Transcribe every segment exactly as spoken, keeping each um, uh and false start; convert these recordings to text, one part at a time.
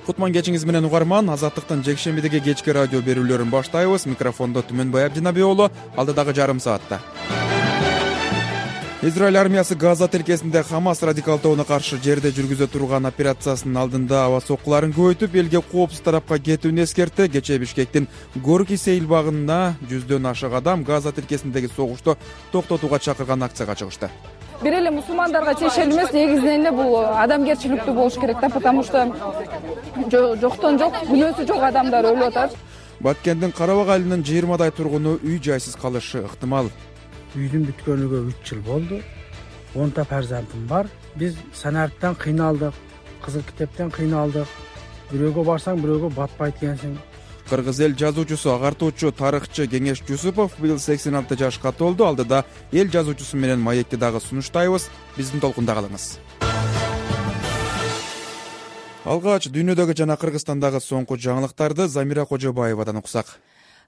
Кутман кечиңиз менен угарман. Азаттыктын жекшембидеги кечки радио берүүлөрүн баштайбыз. Микрофондо Түмөнбай Абдинабиоğlu. Алдыдагы жарым саатта Израиль армиясы Газа тилкесинде Хамас радикалдооуна каршы жерде жүргүзө турган операциясынын алдында аба соккуларын көбөйтүп, элге коопсуз тарапка кетүүнү эскертти. Кечээ Бишкектин Горки сейилбагына жүздөн ашык адам Газа тилкесиндеги согушту токтотууга чакырган акцияга чыгышты. Бир эле мусулмандарга тиешелүү эмес, негизинен эле бул адамгерчиликтүү болуш керек да, потому что жоктон жок, күнөөсү жок адамдар өлүп атат. Баткендин Карабак айылынын жыйырмадай тургуну үй жайсыз калышы ыктымал. Үйдүн бүткөнүгө үч жыл болду. онта фарзандым бар. Биз санаттан кыйналдык, кызыл китептен кыйналдык. Бирөөгө барсаң, бирөөгө батпайт экенсиң. Кыргыз эл жазуучусу, агартуучу, тарыхчы Кеңеш Жусупов быйыл сексен алты жашка толду. Алдыда эл жазуучусу менен маекти дагы сунуштайбыз. Биздин толкунда калыңыз. Алгач дүйнөдөгү жана Кыргызстандагы соңку жаңылыктарды Замира Кожобаевадан уксак.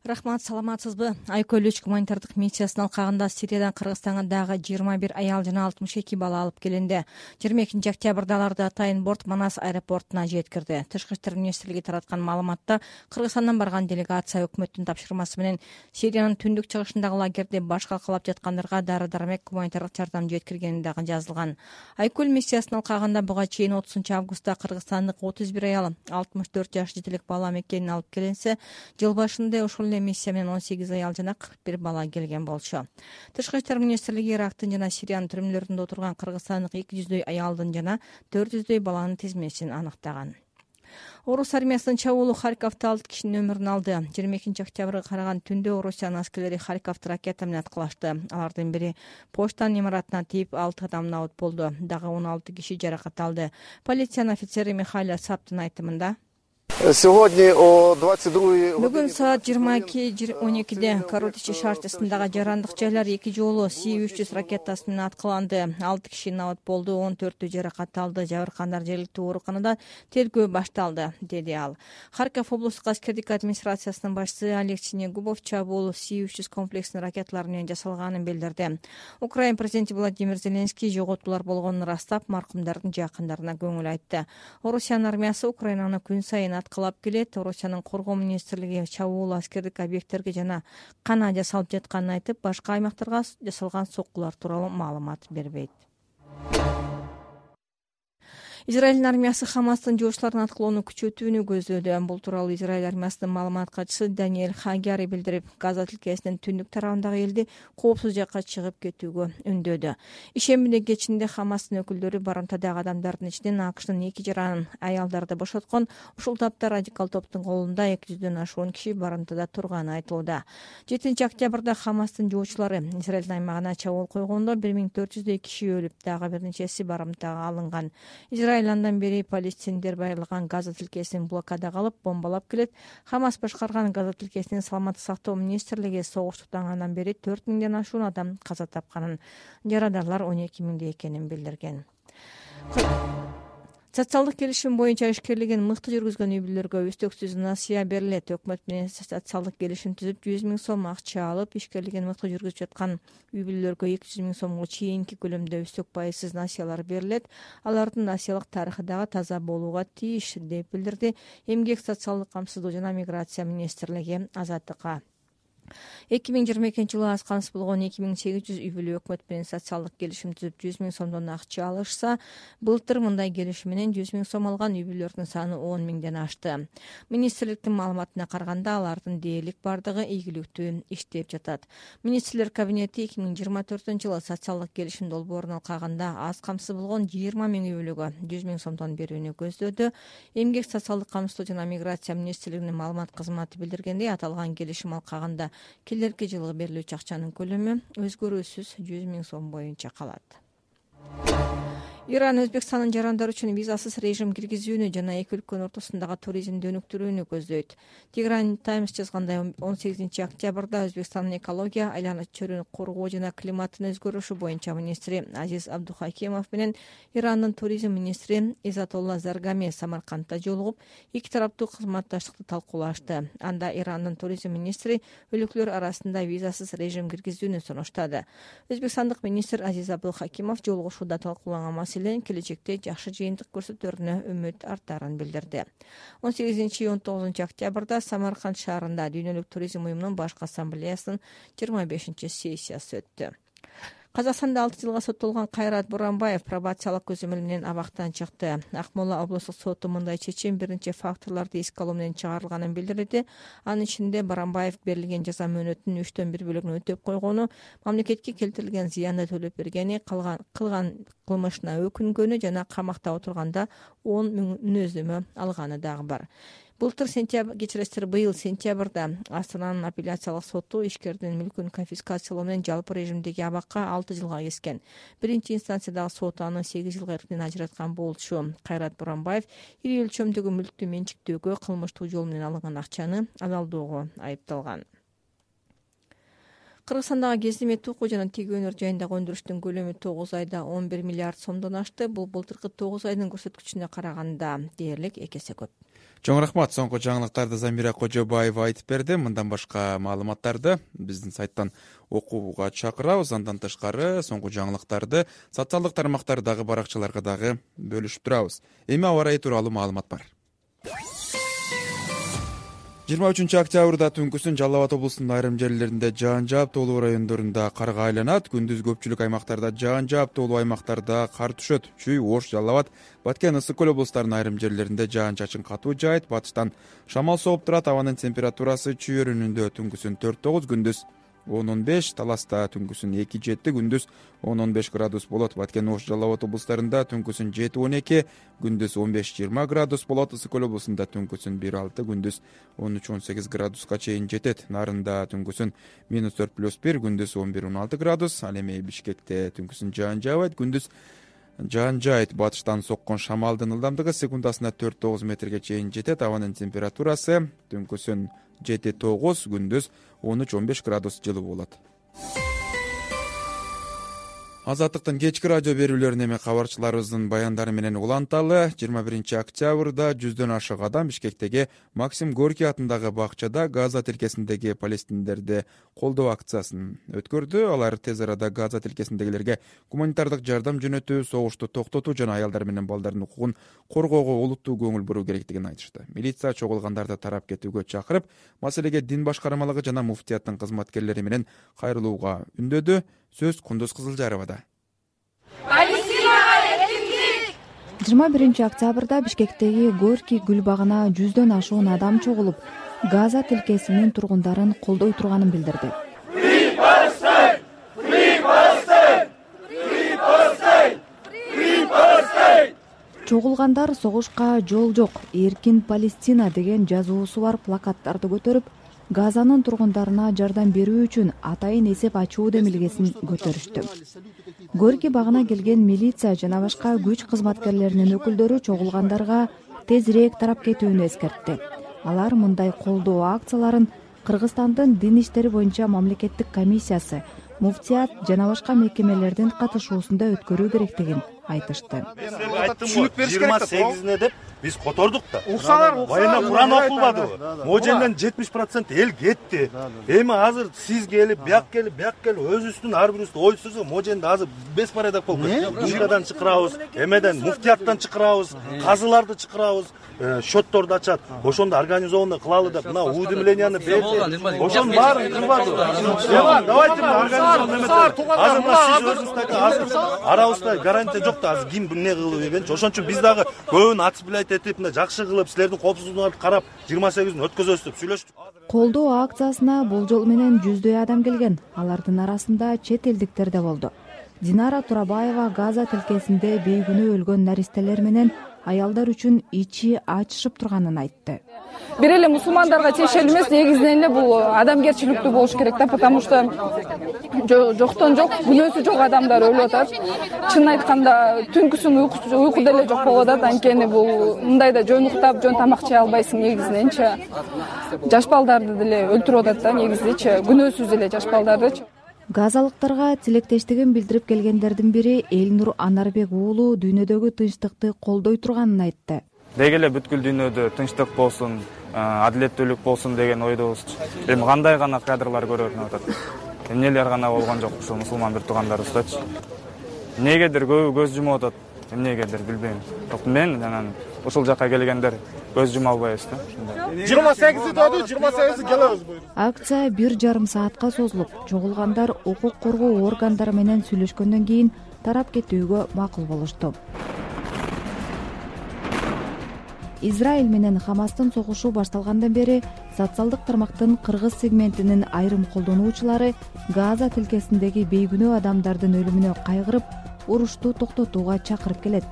Рахмат, саламатсызбы? Айкөл үч гуманитардык миссиясынын алкагында Сириядан Кыргызстанга дагы жыйырма бир аял жана алтымыш эки бала алып келинди. жыйырма экинчи октябрда аларды атайын борт Манас аэропортуна жеткирди. Тышкы иштер министрлиги тараткан маалыматта Кыргызстандан барган делегация өкмөттүн тапшырмасы менен Сириянын түндүк чыгышындагы лагерде баш калкалап жаткандарга дары-дармек, гуманитардык жардам жеткиргени дагы жазылган. Айкөл миссиясынын алкагында буга чейин отузунчу августта кыргызстандык отуз бир аял, алтымыш төрт жаш жетелик бала мекенин алып келинсе, жыл башында ушул миссия менен он сегиз аял жана кырк бир бала келген болчу. Тышкы иштер министрлиги Ирактын жана Сириянын түрмөлөрүндө отурган кыргызстандык эки жүздөй аялдын жана төрт жүздөй баланын тизмесин аныктаган. Орус армиясынын чабуулу Харьковдо алты кишинин өмүрүн алды. жыйырма экинчи октябрга караган түндө Орусиянын аскерлери Харьковду ракета менен аткылашты. Алардын бири почтанын имаратына тийип, алты адам набыт болду. Дагы он алты киши жаракат алды. Полициянын офицери Михаил Саптын айтымында бүгүн саат жыйырма эки он экиде Карутичи шаарчасындагы жарандык жайлар эки жолу Си үч жүз ракетасы менен аткыланды. алты киши набыт болду, он төртү жаракат алды. Жабыркандар жергиликтүү ооруканада тергөө башталды, деди ал. Харьков облустук аскердик администрациясынын башчысы Олег Синегубов чабуул Си үч жүз комплексинин ракеталары менен жасалганын билдирди. Украина президенти Владимир Зеленский жоготуулар болгонун ырастап, маркумдардын жакындарына көңүл айтты. Орусиянын армиясы Украинаны күн сайын аткылап келет. Орусиянын коргоо министрлиги чабуул аскердик объекттерге жана кана жасалып жатканын айтып, башка аймактарга жасалган соккулар тууралуу маалымат бербейт. Израилдин армиясы Хамастын жоошчуларын аткылоону күчөтүүнү көздөдү. Бул тууралуу Израиль армиясынын маалымат катчысы Даниэль Хагяри билдирип, Газа тилкесинин түндүк тарабындагы элди коопсуз жакка чыгып кетүүгө үндөдү. Ишембиде кечинде Хамастын өкүлдөрү барымтадагы адамдардын ичинен АКШнын эки жаран аялдарды бошоткон. Ушул тапта радикал топтун колунда эки жүздөн ашуун киши барымтада турганы айтылууда. жетинчи октябрда Хамастын жоочулары Израилдин аймагына чабуул койгондо бир миң төрт жүздөй киши өлүп, дагы бир нечеси барымтага алынган. Израиль андан бери палестиндер байырылган Газа тилкесин блокадага алып, бомбалап келет. Хамас башкарган Газа тилкесинин саламаттык сактоо министрлиги согуш тутангандан бери төрт миңден ашуун адам каза тапканын, жарадандар он эки миңдей экенин билдирген. Социалдык келишим боюнча ишкерлигин мыкты жүргүзгөн үй бүлөлөргө үстөксүз насыя берилет. Өкмөт менен социалдык келишим түзүп, жүз миң сом акча алып, ишкерлигин мыкты жүргүзүп жаткан үй бүлөлөргө эки жүз миң сомго чейинки көлөмдө үстөк пайызсыз насыялар берилет. Алардын насыялык тарыхы дагы таза болууга тийиш, деп билдирди Эмгек, социалдык камсыздоо жана миграция министрлиги Азаттыкка. эки миң жыйырма экинчи жылы аз камсыз болгон эки миң сегиз жүз үй бүлө өкмөт менен социалдык келишим түзүп жүз миң сомдон акча алышса, былтыр мындай келишим менен жүз миң сом алган үй бүлөлөрдүн саны он миңден ашты. Министрликтин маалыматына караганда, алардын дээрлик бардыгы ийгиликтүү иштеп жатат. Министрлер кабинети эки миң жыйырма төртүнчү жылы социалдык келишим долбоорун алкагында аз камсыз болгон жыйырма миң үй бүлөгө жүз миң сомдон берүүнү көздөдү. Эмгек, социалдык камсыздоо жана миграция министрлигинин маалымат кызматы билдиргендей, аталган келишим алкагында келерки жылы берилүүчү акчанын көлөмү өзгөрүүсүз жүз миң сом боюнча калат. Иран Өзбекстандын жарандар үчүн визасыз режим киргизүүнү жана эки өлкөнүн ортосундагы туризмди өнүктүрүүнү көздөйт. Тигран Таймс жазгандай, он сегизинчи октябрда Өзбекстандын экология, айлана чөйрөнү коргоо жана климаттын өзгөрүшү боюнча министри Азиз Абдухакимов менен Ирандын туризм министри Изатолла Заргами Самаркандда жолугуп, эки тараптуу кызматташтыкты талкуулашты. Анда Ирандын туризм министри өлкөлөр арасында визасыз режим киргизүүнү сунуштады. Өзбекстандык министр Азиз Абдухакимов жолугушууда талкууланган маселен келечекте жакшы жыйынтык көрсөтөрүнө үмүт артарын билдирди. он сегизинчи он тогузунчу октябрда Самарканд шаарында Дүйнөлүк туризм уюмунун башкы ассамблеясынын жыйырма бешинчи сессиясы өттү. Казакстанда алты жылга соттолгон Кайрат Буранбаев пробациялык көзөмөл менен абактан чыкты. Акмола облустук соту мындай чечим биринчи факторлорду эске алуу менен чыгарылганын билдирди. Анын ичинде Буранбаев берилген жаза мөөнөтүнүн үчтөн бир бөлүгүн өтөп койгону, мамлекетке келтирилген зыянды төлөп бергени, кылган кылган кылмышына өкүнгөнү жана камакта отурганда он миң мүнөздөмө алганы дагы бар. Былтыр сентябрь кечиресиздер быйыл сентябрда Астананын апелляциялык соту ишкердин мүлкүн конфискациялоо менен жалпы режимдеги абакка алты жылга кескен. Биринчи инстанциядагы сот аны сегиз жылга эркинен ажыраткан болчу. Кайрат Буранбаев ири өлчөмдөгү мүлктү менчиктөөгө, кылмыштуу жол менен алынган акчаны алалдоого айыпталган. Кыргызстандагы Гезди Мет Уку жана Тиги өнөр жайындагы өндүрүштүн көлөмү тогуз айда он бир миллиард сомдон ашты. Бул былтыркы тогуз айдын көрсөткүчүнө караганда дээрлик эки эсе көп. Чоң рахмат. Соңку жаңылыктарды Замира Кожобаева айтып берди. Мындан башка маалыматтарды биздин сайттан окууга чакырабыз. Андан тышкары соңку жаңылыктарды социалдык тармактардагы баракчаларга дагы бөлүшүп турабыз. Эми аба ырайы тууралуу маалымат бар. жыйырма үчүнчү октябрда түнкүсүн Жалал Абад облусунун айрым жерлеринде жаан жааптуулуу райондорунда карга айланат. Күндүз көпчүлүк аймактарда жаан жааптуулуу аймактарда кар түшөт. Чүй, Ош, Жалал Абад, Баткен, Ысык көл облустарынын айрым жерлеринде жаан-чачын катуу жаайт. Батыштан шамал сооп турат. Абанын температурасы чүй өрүнүндө түнкүсүн төрт тогуз, күндүз он он беш, Таласта түнкүсүн эки жети, күндүз он он беш градус болот. Баткен, Ош, Жалал Абад облустарында түнкүсүн жети он эки, күндүз он беш жыйырма градус болот. Ысык көл облусунда түнкүсүн бир алты, күндүз он үч он сегиз градуска чейин жетет. Нарында түнкүсүн минус төрт плюс бир, күндүз он бир он алты градус. Ал эми Бишкекте түнкүсүн жаан жаабайт, күндүз жаан жаайт. Батыштан соккон шамалдын ылдамдыгы секундасына төрт тогуз метрге чейин жетет. Абанын температурасы түнкүсүн жети тогуз, күндүз он үч он беш градус жылуу болот. Азаттыктын кечки радио берүүлөрүн эми кабарчыларыбыздын баяндары менен уланталы. жыйырма биринчи октябрда жүздөн ашык адам Бишкектеги Максим Горький атындагы бакчада Газа тилкесиндеги палестиндерди колдоо акциясын өткөрдү. Алар тез арада Газа тилкесиндегилерге гуманитардык жардам жөнөтүү, согушту токтотуу жана аялдар менен балдардын укугун коргоого олуттуу көңүл буруу керектигин айтышты. Милиция чогулгандарды тарап кетүүгө чакырып, маселеге дин башкармалыгы жана муфтияттын кызматкерлери менен кайрылууга үндөдү. Сөз Кундуз Кызылжаровада. жыйырма биринчи октябрда Бишкектеги Горький гүл багына жүздөн ашуун адам чогулуп, Газа тилкесинин тургундарын колдой турганын билдирди. Чогулгандар согушка жол жок, эркин Палестина деген жазуусу бар плакаттарды көтөрүп, Газанын тургундарына жардам берүү үчүн атайын эсеп ачуу демилгесин көтөрүштү. Горький багына келген милиция жана башка күч кызматкерлеринин өкүлдөрү чогулгандарга тезирээк тарап кетүүнү эскертти. Алар мындай колдоо акцияларын Кыргызстандын дин иштери боюнча мамлекеттик комиссиясы, муфтият жана башка мекемелердин катышуусунда өткөрүү керектигин айтышты. жыйырма сегизине деп биз котордук да. Баянда Куран окулбадыбы? Моженден жетимиш процент эл кетти. Эми азыр сиз келип, бияк келип, бияк келип өзүбүздүн ар бирибизди ой сүрсө, Моженде азыр беспорядок болуп кетти. Душкадан чакырабыз, эмеден муфтияттан чакырабыз, казыларды чакырабыз, счетторду ачат. Ошондо организованный кылалы деп мына уведомленияны берди. Ошонун баарын кылбады. Давайте организованный азыр мына сиз өзүңүз айтасыз, арабызда гарантия жок да азыр ким эмне кылып ийгенчи. Ошон үчүн биз дагы көбүн отцеплять этип, мына жакшы кылып, силердин коопсуздугуңарды карап жыйырма сегизин өткөзөбүз деп сүйлөштүк. Колдоо акциясына болжол менен жүздөй адам келген. Алардын арасында чет элдиктер да болду. Динара Турабаева Газа тилкесинде бейгүнөө өлгөн наристелер менен аялдар үчүн ичи ачышып турганын айтты. Бир эле мусулмандарга тиешелүү эмес, негизинен эле бул адамгерчиликтүү болуш керек да, потому что жоктон жок, күнөөсү жок адамдар өлүп атат. Чынын айтканда, түнкүсүн уйку деле жок болуп атат. Анткени бул мындайда жөн уктап, жөн тамак жей албайсың негизиненчи. Жаш балдарды деле өлтүрүп атат да негизичи, күнөөсүз эле жаш балдарды. Газалыктарга тилектештигин билдирип келгендердин бири Элнур Анарбек уулу дүйнөдөгү тынчтыкты колдой турганын айтты. Деги эле бүткүл дүйнөдө тынчтык болсун, адилеттүүлүк болсун деген ойдобуз. Эми кандай гана кадрлар көрүнүп атат. Эмнелер гана болгон жок ушул мусулман бир туугандарыбыздачы. Негедир көбү көз жумуп атат. эмнегедир билбейм. Бирок мен анан ушул жакка келгендер көз жума албайбыз да. Ушундай. жыйырма сегизи деді, жыйырма сегизи келебиз. Акция бир жарым саатка созулуп, жоголгандар укук коргоо органдары менен сүйлөшкөндөн кийин тарап кетүүгө макул болушту. Израиль менен Хамастын согушу башталгандан бери социалдык тармактын кыргыз сегментинин айрым колдонуучулары Газа тилкесиндеги бейгүнөө адамдардын өлүмүнө кайгырып, урушту токтотууга чакырып келет.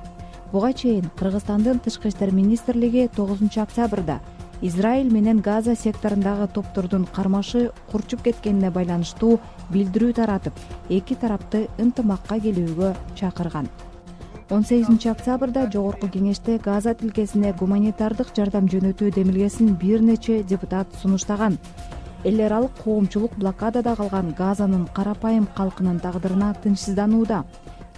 Буга чейин Кыргызстандын тышкы иштер министрлиги тогузунчу октябрда Израиль менен Газа секторундагы топтордун кармашы курчуп кеткенине байланыштуу билдирүү таратып, эки тарапты ынтымакка келүүгө чакырган. он сегизинчи октябрда Жогорку кеңеште Газа тилкесине гуманитардык жардам жөнөтүү демилгесин бир нече депутат сунуштаган. Эл аралык коомчулук блокадада калган Газанын карапайым калкынын тагдырына тынчсызданууда.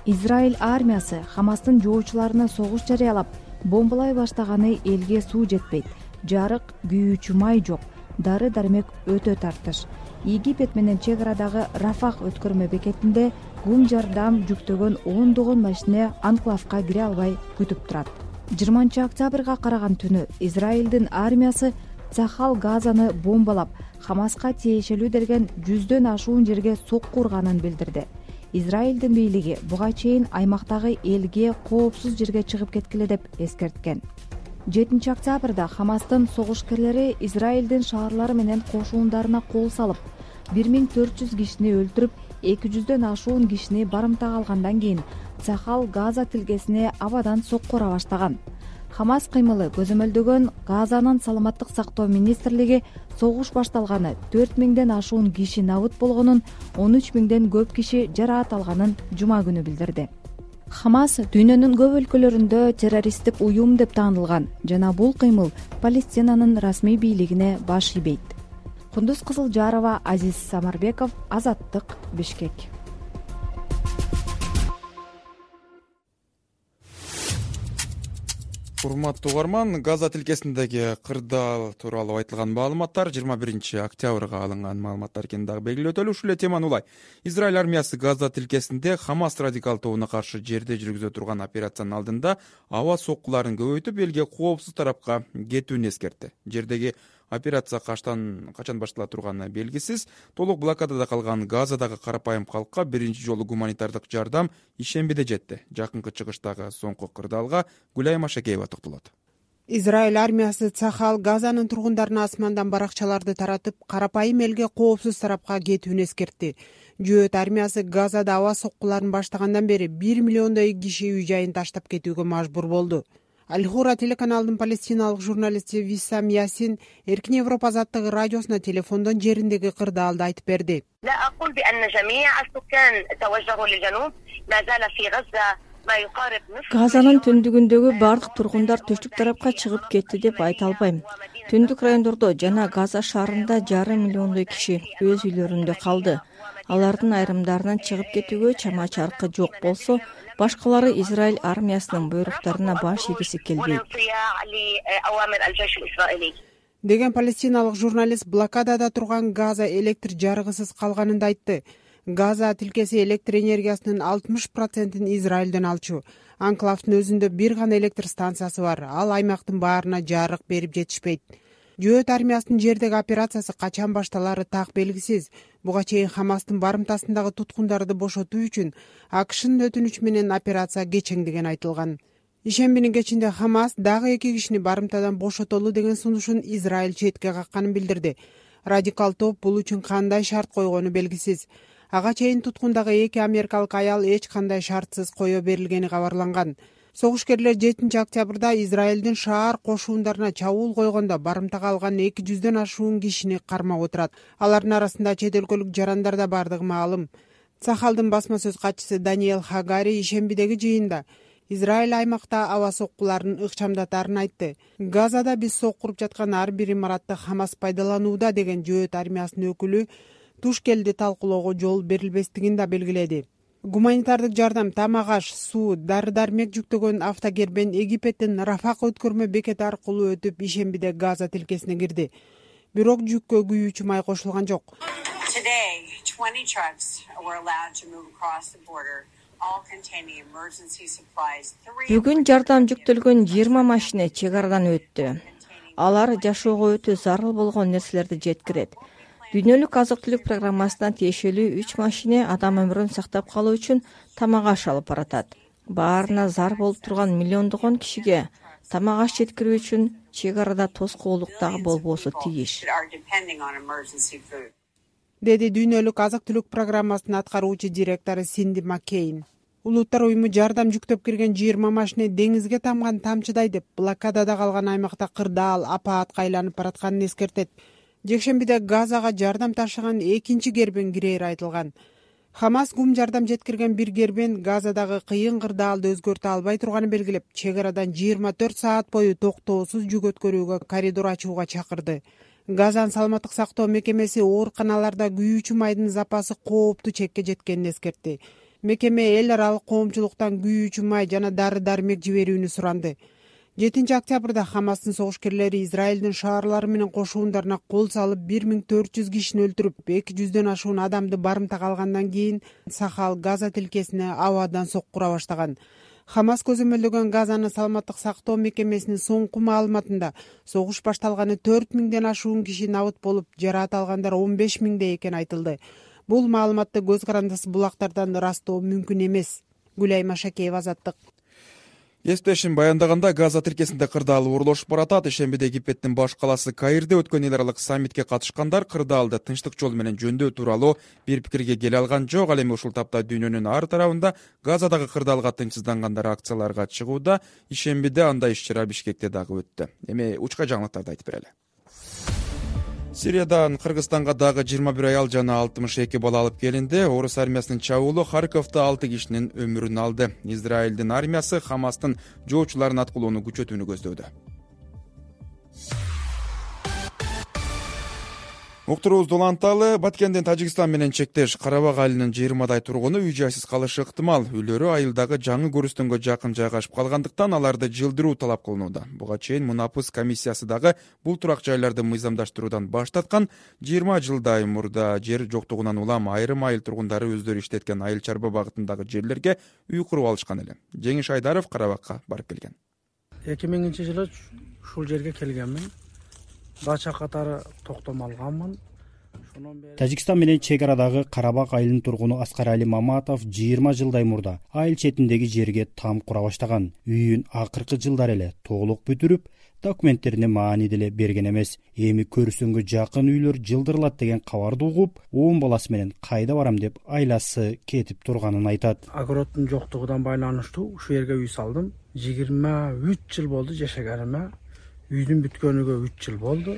Израиль армиясы Хамастын жоочуларына согуш жарыялап, бомбалай баштаганы элге суу жетпейт, жарык, күйүүчү май жок, дары-дармек өтө тартыш. Египет менен чек арадагы Рафах өткөрмө бекетинде гум жардам жүктөгөн ондогон машина анклавка кире албай күтүп турат. жыйырманчы октябрга караган түнү Израилдин армиясы Цахал Газаны бомбалап, Хамаска тиешелүү делген жүздөн ашуун жерге сокку урганын билдирди. Израилдин бийлиги буга чейин аймактагы элге коопсуз жерге чыгып кеткиле деп эскерткен. жетинчи октябрда Хамастын согушкерлери Израилдин шаарлары менен кошуундарына кол салып, бир миң төрт жүз кишини өлтүрүп, эки жүздөн ашуун кишини барымтага алгандан кийин Цахал Газа тилкесине абадан сокку ура баштаган. Хамас кыймылы көзөмөлдөгөн Газанын саламаттык сактоо министрлиги согуш башталганы төрт миңден ашуун киши набыт болгонун, он үч миңден көп киши жараат алганын жума күнү билдирди. Хамас дүйнөнүн көп өлкөлөрүндө террористтик уюм деп таанылган жана бул кыймыл Палестинанын расмий бийлигине баш ийбейт. Кундуз Кызылжарова, Азиз Самарбеков, Азаттык, Бишкек. Урматтуу угарман, Газа тилкесиндеги кырдаал тууралуу айтылган маалыматтар жыйырма биринчи октябрга алынган маалыматтар экенин дагы белгилөтөлү. Ушул эле теманы улай. Израиль армиясы Газа тилкесинде Хамас радикал тобуна каршы жерде жүргүзө турган операциянын алдында аба соккуларын көбөйтүп, элге коопсуз тарапка кетүүнү эскертти. Жердеги операция качан качан баштала турганы белгисиз. Толук блокадада калган Газадагы карапайым калкка биринчи жолу гуманитардык жардам ишембиде жетти. Жакынкы чыгыштагы соңку кырдаалга Гүлай Машакеева токтолот. Израиль армиясы Цахал Газанын тургундарына асмандан баракчаларды таратып, карапайым элге коопсуз тарапка кетүүнү эскертти. Жөөт армиясы Газада аба соккуларын баштагандан бери бир миллиондой киши үй жайын таштап кетүүгө мажбур болду. Аль-Хура телеканалдын палестиналык журналисти Виссам Ясин Эркин Европа азаттыгы радиосуна телефондон жериндеги кырдаалды айтып берди. Газанын түндүгүндөгү бардык тургундар түштүк тарапка чыгып кетти деп айта албайм. Түндүк райондордо жана Газа шаарында жарым миллиондой киши өз үйлөрүндө калды. Алардын айрымдарынан чыгып кетүүгө чама чаркы жок болсо, башкалары Израиль армиясынын буйруктарына баш ийгиси келбейт. Деген палестиналык журналист блокадада турган Газа электр жарыгысыз калганын да айтты. Газа тилкеси электр энергиясынын алтымыш процентин Израилден алчу. Анклавдын өзүндө бир гана электр станциясы бар. Ал аймактын баарына жарык берип жетишпейт. Жөөт армиясынын жердеги операциясы качан башталары так белгисиз. Буга чейин Хамастын барымтасындагы туткундарды бошотуу үчүн АКШнын өтүнүчү менен операция кечеңдеген айтылган. Ишембинин кечинде Хамас дагы эки кишини барымтадан бошотолу деген сунушун Израиль четке какканын билдирди. Радикал топ бул үчүн кандай шарт койгону белгисиз. Ага чейин туткундагы эки америкалык аял эч кандай шартсыз кое берилгени кабарланган. Согушкерлер жетинчи октябрда Израилдин шаар кошуундарына чабуул койгондо барымтага алган эки жүздөн ашуун кишини кармап отурат. Алардын арасында чет өлкөлүк жарандар да бардыгы маалым. Цахалдын басма сөз катчысы Даниэл Хагари ишембидеги жыйында Израиль аймакта аба соккуларын ыкчамдатарын айтты. Газада биз соккуруп жаткан ар бир имаратты Хамас пайдаланууда деген жөөт армиясынын өкүлү Тушкелди талкуулоого жол берилбестигин да белгиледи. Гуманитардык жардам тамак аш, суу, дары-дармек жүктөгөн автокербен Египеттин Рафах өткөрмө бекети аркылуу өтүп ишембиде Газа тилкесине кирди. Бирок жүккө күйүүчү май кошулган жок. Бүгүн жардам жүктөлгөн жыйырма машина чек арадан өттү. Алар жашоого өтө зарыл болгон нерселерди жеткирет. Дүйнөлүк азык-түлүк программасына тиешелүү үч машина адам өмүрүн сактап калуу үчүн тамак аш алып баратат. Баарына зар болуп турган миллиондогон кишиге тамак аш жеткирүү үчүн чек арада тоскоолдук дагы болбосу тийиш, деди Дүйнөлүк азык-түлүк программасынын аткаруучу директору Синди Маккейн. Улуттар уюму жардам жүктөп кирген жыйырма машина деңизге тамган тамчыдай деп блокадада калган аймакта кырдаал апаатка айланып баратканын эскертет. Жекшембиде Газага жардам ташыган экинчи кербен кирээри айтылган. Хамас гум жардам жеткирген бир кербен Газадагы кыйын кырдаалды өзгөртө албай турганын белгилеп, чек арадан жыйырма төрт саат бою токтоосуз жүк өткөрүүгө коридор ачууга чакырды. Газанын саламаттык сактоо мекемеси ооруканаларда күйүүчү майдын запасы кооптуу чекке жеткенин эскертти. Мекеме эл аралык коомчулуктан күйүүчү май жана дары-дармек жиберүүнү суранды. жетинчи октябрда Хамастын согушкерлери Израилдин шаарлары менен кошуундарына кол салып бир миң төрт жүз кишини өлтүрүп, эки жүздөн ашуун адамды барымтага алгандан кийин Сахал Газа тилкесине абадан соккура баштаган. Хамас көзөмөлдөгөн Газанын саламаттык сактоо мекемесинин соңку маалыматында согуш башталганы төрт миңден ашуун киши набыт болуп, жараат алгандар он беш миңдей экени айтылды. Бул маалыматты көз карандысы булактардан ырастоо мүмкүн эмес. Гүлай Машакеева, Азаттык. Эстешин баяндаганда Газа тилкесинде кырдаал уурулушуп баратат. Ишембиде Египеттин баш калаасы Каирде өткөн эл аралык саммитке катышкандар кырдаалды тынчтык жол менен жөндөө тууралуу бир пикирге келе алган жок. Ал эми ушул тапта дүйнөнүн ар тарабында Газадагы кырдаалга тынчсыздангандар акцияларга чыгууда. Ишембиде андай иш-чара Бишкекте дагы өттү. Эми учка жаңылыктарды айтып берели. Сириядан Кыргызстанга дагы жыйырма бир аял жана алтымыш эки бала алып келинди. Орус армиясынын чабуулу Харьковдо алты кишинин өмүрүн алды. Израилдин армиясы Хамастын жоочуларын аткылоону күчөтүүнү көздөдө. Уктуруубузду уланталы. Баткендин Тажикстан менен чектеш Карабак айылынын жыйырмадай тургуну үй жайсыз калышы ыктымал. Үйлөрү айылдагы жаңы көрүстөнгө жакын жайгашып калгандыктан аларды жылдыруу талап кылынууда. Буга чейин Мунапыс комиссиясы дагы бул турак жайларды мыйзамдаштыруудан баш тарткан. жыйырма жылдай мурда жер жоктугунан улам айрым айыл тургундары өздөрү иштеткен айыл чарба багытындагы жерлерге үй куруп алышкан эле. Жеңиш Айдаров Карабакка барып келген. эки миңинчи жылы ушул жерге келгенмин. Дача катары токтом алганмын. Тажикстан менен чек арадагы Карабак айылынын тургуну Аскарали Маматов жыйырма жылдай мурда айыл четиндеги жерге там кура баштаган. Үйүн акыркы жылдары эле толук бүтүрүп, документтерине маани деле берген эмес. Эми көрүстөнгө жакын үйлөр жылдырылат деген кабарды угуп, он баласы менен кайда барам деп айласы кетип турганын айтат. Огороддун жоктугунан байланыштуу ушу жерге үй салдым. жыйырма үч жыл болду жашаганыма. Үйдүн бүткөнүгө үч жыл болду.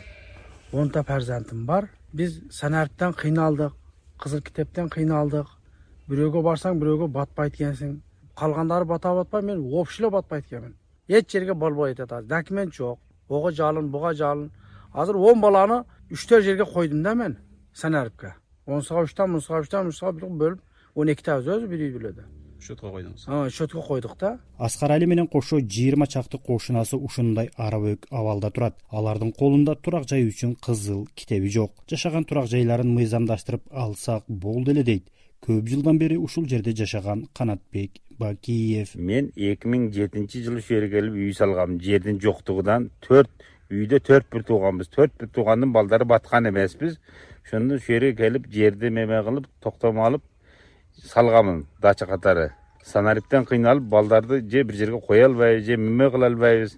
онта перзентим бар. Биз санарптан кыйналдык, кызыл китептен кыйналдык. Бирөөгө барсаң, бирөөгө батпайт экенсиң. Калгандары бата батпай, мен вообще эле батпайт экенмин. Эч жерге болбой атат. Документ жок. Ого жалын, буга жалын. Азыр он баланы үчтөр жерге койдум да мен санарпка. онсуга үчтөн, мунсуга үчтөн, мунсуга бөлүп, он эките өзү бир үй бүлөдө. Шөткө койдуңуз. А, шөткө койдук да. Аскарали менен кошо жыйырма чакты кошунасы ушундай арабөк абалда турат. Алардын колунда турак жай үчүн кызыл китеби жок. Жашаган турак жайларын мыйзамдаштырып алсак болду эле дейт. Көп жылдан бери ушул жерде жашаган Канатбек Бакиев. Мен эки миң жетинчи жылы ушул жерге келип үй салгам. Жердин жоктугунан төрт үйдө төрт бир тууганбыз. төрт бир туугандын балдары баткан эмеспиз. Ошондо ушул жерге келип жерди меме кылып, токтом алып салгамын дача катары. Санариптен кыйналып балдарды же бир жерге кое албайбыз, же меме кыла албайбыз.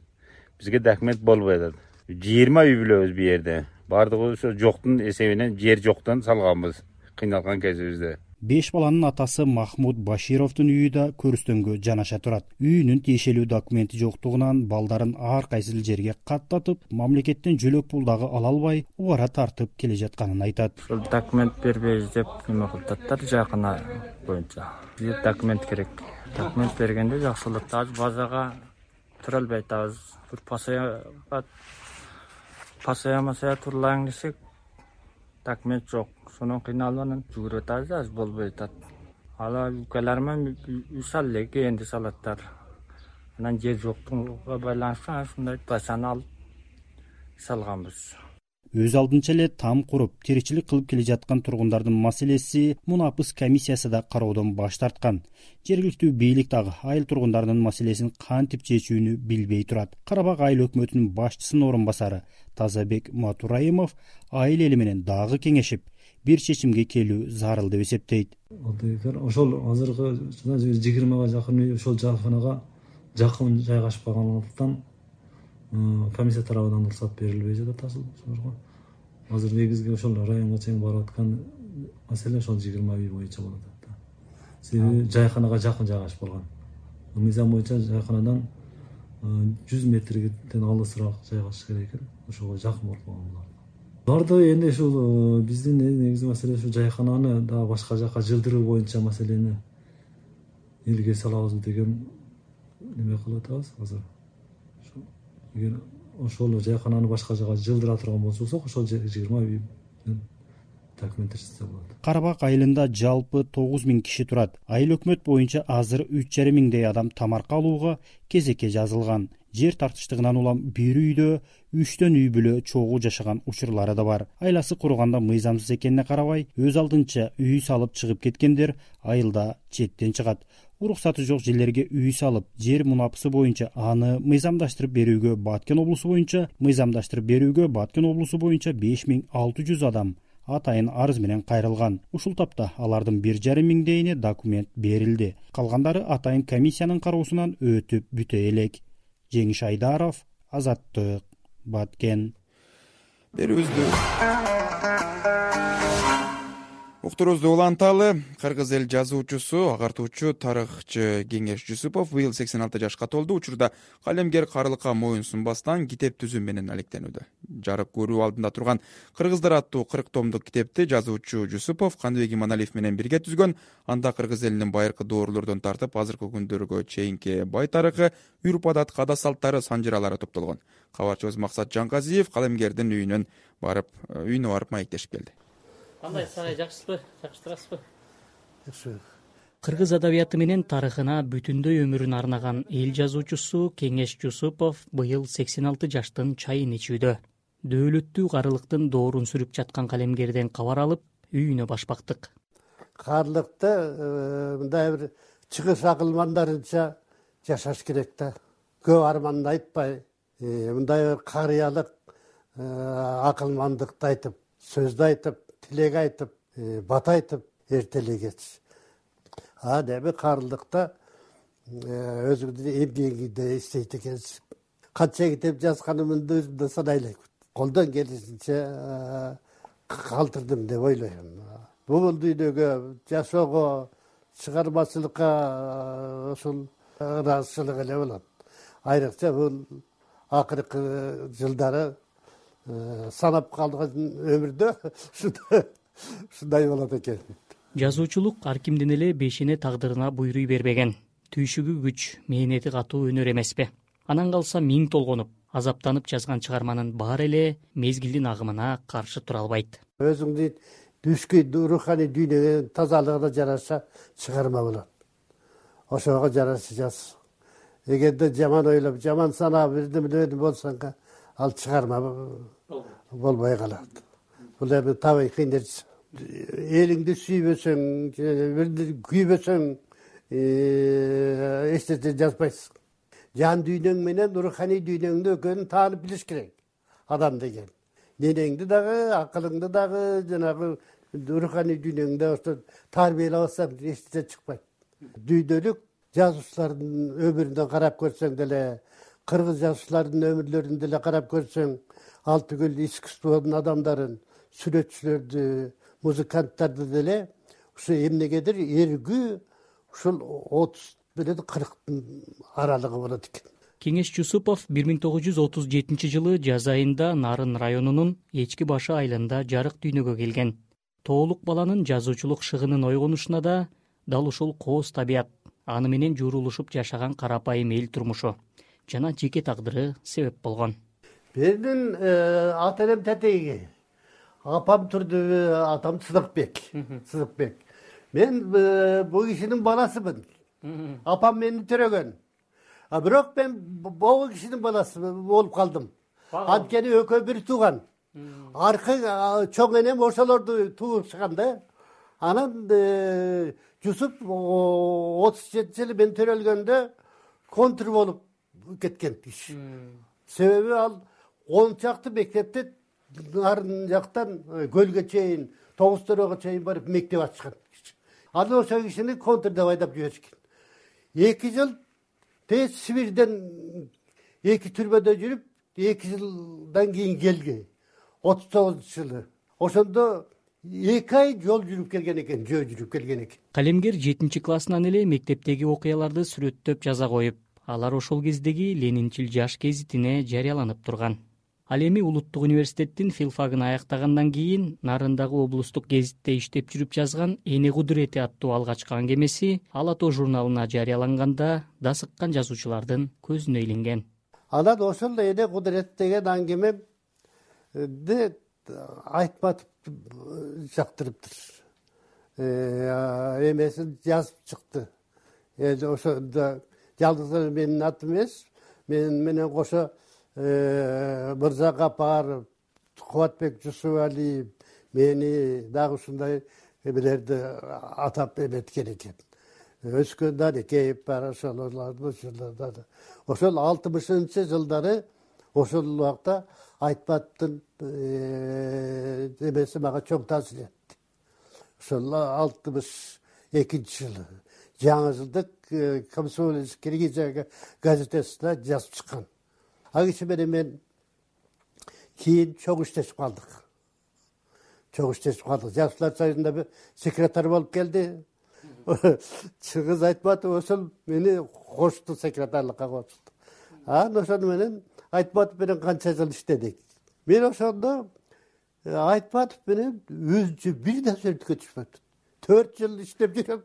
Бизге документ болбой атат. жыйырма үй бүлөбүз бу жерде. Бардыгы ошо жоктун эсебинен, жер жоктон салганбыз кыйналган кезибизде. Беш баланын атасы Махмуд Башировдун үйү да көрүстөнгө жанаша турат. Үйүнүн тиешелүү документи жоктугунан балдарын ар кайсыл жерге каттатып, мамлекеттен жөлөк пул дагы ала албай, убара тартып келе жатканын айтат. Ушул документ бербейбиз деп неме кылдаттар жакына боюнча. Бизге документ керек. Документ бергенде жакшылык. Азыр базага тура албай атабыз. Бир пасаяга пасаямасая турлаң десек, документ жок. Сонун кыйналганын жүгүрүп атабыз, азыр болбой атат. Ала өлкөлөрмөн үй салып элек энди салаттар. Анан жер жоктугуна байланыштуу ушундай башаны алып салганбыз. өз алдынча эле там куруп тиричилик кылып келе жаткан тургундардын маселеси мунапыс комиссиясы да кароодон баш тарткан. Жергиликтүү бийлик дагы айыл тургундарынын маселесин кантип чечүүнү билбей турат. Карабак айыл өкмөтүнүн башчысынын орун басары Тазабек Матураимов айыл эли менен дагы кеңешип, бир чечимге келүү зарыл деп эсептейт. Ошол азыркы жыйырмага жакын үй ошол жайканага жакын жайгашып калгандыктан комиссия тарабынан уруксат берилбей жатат ошолорго. Азыр негизги ошол районго чейин барып аткан маселе ошол жыйырма үй боюнча болот. Себеби жайканага жакын жайгашып калган. Мыйзам боюнча жайканадан жүз метрден алысыраак жайгашыш керек экен. Ошого жакын болуп калган булар. Барды энди ушул биздин негизги маселе ушу жайкананы дагы башка жака жылдыруу боюнча маселени элге салабыз деген неме кылып атабыз азыр. Эгер ошол жайкананы башка жака жылдыра турган болсок, ошол жыйырма үй документтешсе болот. Карабак айылында жалпы тогуз миң киши турат. Айыл өкмөт боюнча азыр үч жарым миңдей адам тамарка алууга кезекке жазылган. Жер тартыштыгынан улам бир үйдө үчтөн үй бүлө чогуу жашаган учурлары да бар. Айласы курганда мыйзамсыз экенине карабай, өз алдынча үй салып чыгып кеткендер айылда четтен чыгат. Уруксаты жок жерлерге үй салып, жер мунапысы боюнча аны мыйзамдаштырып берүүгө Баткен облусу боюнча мыйзамдаштырып берүүгө Баткен облусу боюнча беш миң алты жүз адам атайын арыз менен кайрылган. Ушул тапта алардын бир жарым миңдейине документ берилди. Калгандары атайын комиссиянын кароосунан өтүп бүтө элек. Жеңиш Айдаров, Азаттык, Баткен. Берүүбүздү уктуруубузду уланталы. Кыргыз эл жазуучусу, агартуучу, тарыхчы Кеңеш Жусупов быйыл сексен алты жашка толду. Учурда калемгер карлыкка моюн сунбастан китеп түзүү менен алектенүүдө. Жарык көрүү алдында турган Кыргыздар аттуу кырк томдук китепти жазуучу Жусупов Каныбек Иманалиев менен бирге түзгөн. Анда кыргыз элинин байыркы доорлордон тартып азыркы күндөргө чейинки бай тарыхы, үрп адат, када салттары, санжыралары топтолгон. Кабарчыбыз Максат Жаңгазиев калемгердин үйүнөн барып, үйүнө барып маектешип келди. Кандай сарай жакшысызбы? Жакштырасызбы? Жакшы. Кыргыз адабияты менен тарыхына бүтүндөй өмүрүн арнаган эл жазуучусу Кеңеш Жусупов быйыл сексен алты жаштын чайын ичүүдө. Дөөлөттүү карылыктын доорун сүрүп жаткан калемгерден кабар алып, үйүнө башпактык. Карлыкты мындай бир чыгыш акылмандарынча жашаш керек да. Көп арманды айтпай, мындай бир карыялык акылмандыкты айтып, сөздү айтып, тилек айтып, бата айтып эртелегеч. А деби карлыкта өзүңдүн эмгегиңди иштейт экенсиң. Канча китеп жазганымды өзүм да санай элек. Колдон келишинче калтырдым деп ойлойм. Бул дүйнөгө жашоого, чыгармачылыкка ушул ыраазычылык эле болот. Айрыкча бул акыркы жылдары санап калган өмүрдө ушундай болот экен. Жазуучулук ар кимдин эле бешине тагдырына буйруй бербеген. Түйшүгү күч, мээнети катуу өнөр эмеспи? Анан калса миң толгонуп, азаптанып жазган чыгарманын баары эле мезгилдин агымына каршы тура албайт. Өзүңдүн түшкү руханий дүйнөгө тазалыгына жараша чыгарма болот. Ошого жараша жаз. Эгерде жаман ойлоп, жаман санап бирден болсоң, ал чыгарма болбой калат. Бул эми табигый нерсе. Элиңди сүйбөсөң, бирди күйбөсөң, эч нерсе жазбайсың. Жан дүйнөң менен руханий дүйнөңдү экөөнүн таанып билиш керек. Адам деген. Денеңди дагы, акылыңды дагы, жанагы руханий дүйнөңдү ошо тарбиялабасаң эч нерсе чыкпайт. Дүйнөлүк жазуучулардын өмүрүнө карап көрсөң деле, кыргыз жазуучулардын өмүрлөрүн деле карап көрсөң, ал түгүл искусствонун адамдарын, сүрөтчүлөрдү, музыканттарды деле ушу эмнегедир эргүү ушул отуз менен кырктын аралыгы болот экен. Кеңеш Жусупов бир миң тогуз жүз отуз жетинчи жылы жаз айында Нарын районунун Эчки башы айылында жарык дүйнөгө келген. Тоолук баланын жазуучулук шыгынын ойгонушуна да дал ушул кооз табият, аны менен журулушуп жашаган карапайым эл турмушу жана жеке тагдыры себеп болгон. Менин ата энем тетеги, апам турду, атам Сыдыкбек. Сыдыкбек. Мен бул кишинин баласымын. Апам мени төрөгөн. А бирок мен бул кишинин баласы болуп калдым. Анткени экөө бир тууган. аркы чоң энем ошолорду туушкан да. Анан Жусуп отуз жетинчи жылы мен төрөлгөндө контр болуп кеткен киши. Себеби ал он чакты мектепте нарын жактан көлгө чейин, Тогуз-Төрөгө чейин барып мектеп ачкан. Ал ошол кишини контрда айдап жиберишкен. эки жыл тез Сибирден эки түрмөдө жүрүп, эки жылдан кийин келген. отуз тогузунчу жылы. Ошондо эки ай жол жүрүп келген экен, жөө жүрүп келген экен. Калемгер жетинчи классынан эле мектептеги окуяларды сүрөттөп жаза коюп, алар ошол кездеги Ленинчил жаш гезитине жарыяланып турган. Ал эми Улуттук университеттин филфагын аяктагандан кийин Нарындагы облустук гезитте иштеп жүрүп жазган Эне кудурети аттуу алгачкы аңгемеси Ала тоо журналына жарыяланганда да сыккан жазуучулардын көзүнө илинген. Анан ошол Эне кудурет деген аңгемемди Айтматов жактырыптыр. Эмесин жазып чыкты. Эми ошондо жалгыз менин атым эмес, мен менен кошо Мырза Капаров, Кубатбек Жусупалиев мени дагы ушундай эмелерди атап эметкен экен. Өскөн Дарекеев бар, ошолорду ошолорду. Ошол алтымышынчы жылдары ошол убакта Айтматовдун эмеси мага чоң таасир этти. Ошол алтымыш экинчи жылы жаңы жылдык Комсомольский Киргизия газетесине жазып чыккан. Ал киши менен мен кийин чоң иштешип калдык. Чоң иштешип калдык. Жаштар союзунда секретарь болуп келди. Чыңгыз Айтматов ошол мени кошту, секретарлыкка кошту. Анан ошол менен Айтматов менен канча жыл иштедик. Мен ошондо Айтматов менен өзүнчө бир нерсе өткөчүпөт. төрт жыл иштеп жүрөм.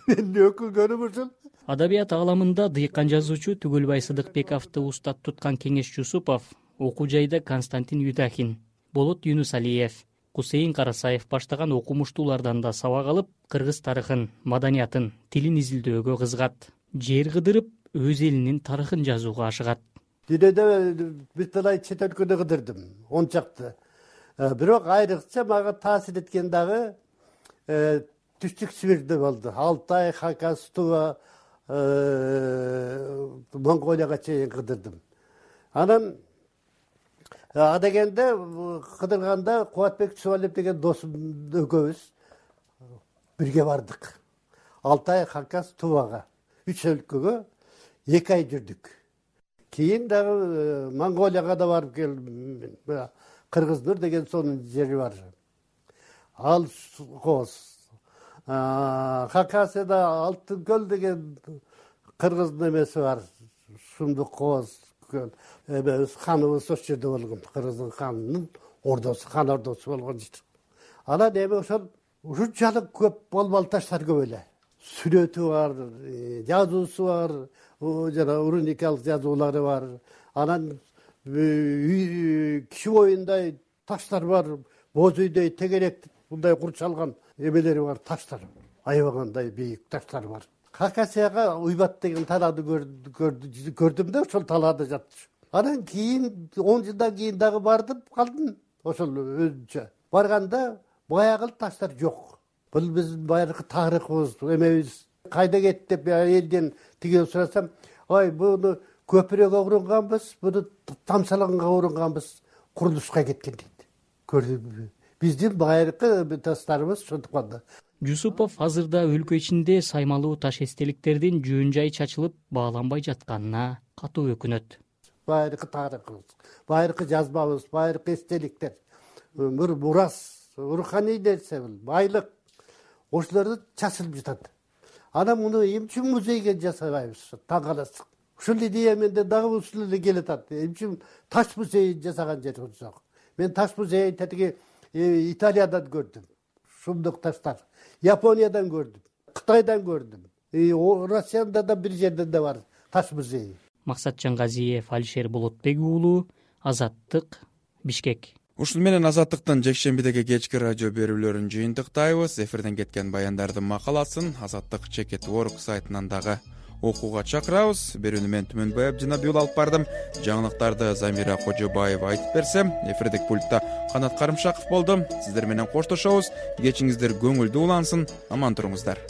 Мен өкүнгөнүм ушул. Адабият ааламында дыйкан жазуучу Түгөлбай Сыдыкбековду устат туткан Кеңеш Жусупов, окуу жайда Константин Юдахин, Болот Юнусалиев, Кусейин Карасаев баштаган окумуштуулардан да сабак алып, кыргыз тарыхын, маданиятын, тилин изилдөөгө кызыгат. Жер кыдырып, өз элинин тарыхын жазууга ашыгат. Дүйнөдө бир талай чет өлкөдө кыдырдым, он чакты. Бирок айрыкча мага таасир эткен дагы Түштүк Сибирде болду. Алтай, Хакас, Тува, Монголияга чейин кыдырдым. Анан адегенде кыдырганда Кубатбек Жусупалиев деген досум экөөбүз бирге бардык. Алтай, Хакас, Тувага, үч өлкөгө эки ай жүрдүк. Кийин дагы Монголияга да барып келдим. Кыргыз-Нур деген сонун жери бар. Ал кооз. Хакасыда Алтын көл деген кыргыздын эмеси бар. Сумдук кооз көл. Эбебиз ханыбыз ошол жерде болгон. Кыргыздын ханынын ордосу, хан ордосу болгон жер. Анан эми ошол ушунчалык көп болбол таштар көп эле. Сүрөтү бар, жазуусу бар, жана уруникалык жазуулары бар. Анан киши боюндай таштар бар, боз үйдөй тегерек мындай курчалган эмелери бар, таштар. Аябагандай бийик таштар бар. Хакасияга Уйбат деген талааны көрдүм да, ошол талаада жатчу. Анан кийин он жылдан кийин дагы бардым, калдым. Ошол өзүнчө. Барганда баягы таштар жок. Бул биздин байыркы тарыхыбыз, эмебиз. Кайда кетти деп элден тиге сурасам, ой, буну көпүрөгө урунганбыз, буну тамсалаганга урунганбыз, курулушка кеткен дейт. Көрдүңбү? Биздин байыркы таштарыбыз ошондуктан. Жусупов азырда өлкө ичинде саймалуу таш эстеликтердин жөн жай чачылып бааланбай жатканына катуу өкүнөт. Байыркы тарыхыбыз, байыркы жазмабыз, байыркы эстеликтер, бир мурас, руханий нерсе, байлык ошолорду чачылып жатат. Анан муну эмче музейге жасабайбыз? Таң каласың. Ушул идея менде дагы ушул эле келатат. Эмче таш музей жасаган жер жок. Мен таш музейин тетиги Италиядан көрдүм. Шумдук таштар. Япониядан көрдүм. Кытайдан көрдүм. Россияда да бир жерде да бар таш музей. Максатжан Газиев, Алишер Болотбек уулу, Азаттык, Бишкек. Ушул менен Азаттыктын жекшембидеги кечки радио берүүлөрүн жыйынтыктайбыз. Эфирден кеткен баяндардын макаласын Азаттык чекит точка орг сайтынан дагы окууга чакырабыз. Берүүнү мен Түмөнбай Абдинабиул алып бардым. Жаңылыктарды Замира Кожобаева айтып берсе, эфирдик пультта Канат Карымшаков болду. Сиздер менен коштошобуз. Кечиңиздер көңүлдүү улансын. Аман туруңуздар.